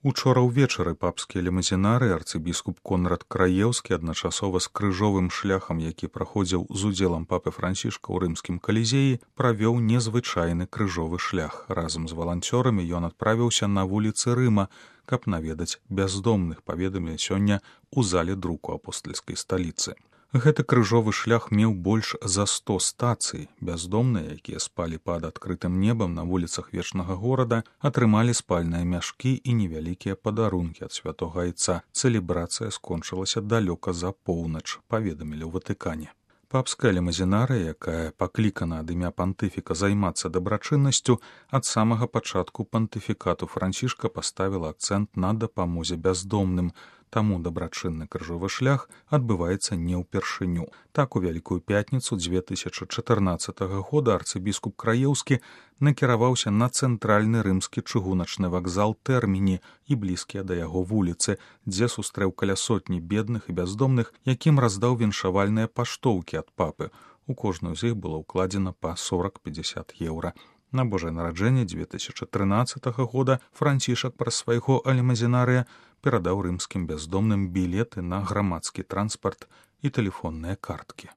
Учора ўвечары папскія лімузінары арцыбіскуп Конрад Краеўскі адначасова з крыжовым шляхам, які праходзіў з удзелам папы Францішка ў рымскім калізеі, правёў незвычайны крыжовы шлях. Разам з валанцёрамі ён адправіўся на вуліцы Рыма, каб наведаць бяздомных, паведамілі сёння ў зале друку апостальскай сталіцы. Гэты крыжовы шлях меў больш за 100 стацый. Бяздомныя, якія спалі пад адкрытым небам на вуліцах вечнага горада, атрымалі спальныя мяшкі і невялікія падарункі ад святога айца. Цэлебрацыя скончылася далёка за поўнач, паведамілі ў Ватыкане. Папская лімузінарыя, якая паклікана ад імя пантыфіка займацца дабрачыннасцю, ад самага пачатку пантыфікату Францішка паставіла акцэнт на дапамозе бяздомным. Таму дабрачынны крыжовы шлях адбываецца не ўпершыню. Так, у Вялікую пятніцу 2014 года арцыбіскуп Краеўскі накіраваўся на цэнтральны рымскі чыгуначны вакзал Тэрміні і блізкія да яго вуліцы, дзе сустрэў каля сотні бедных і бяздомных, якім раздаў віншавальныя паштоўкі ад папы. У кожную з іх было ўкладзена па 40-50 еўра. На Божае нараджэнне 2013 года Францішак праз свайго лімузінарыя перадаў рымскім бяздомным білеты на грамадскі транспарт і тэлефонныя карткі.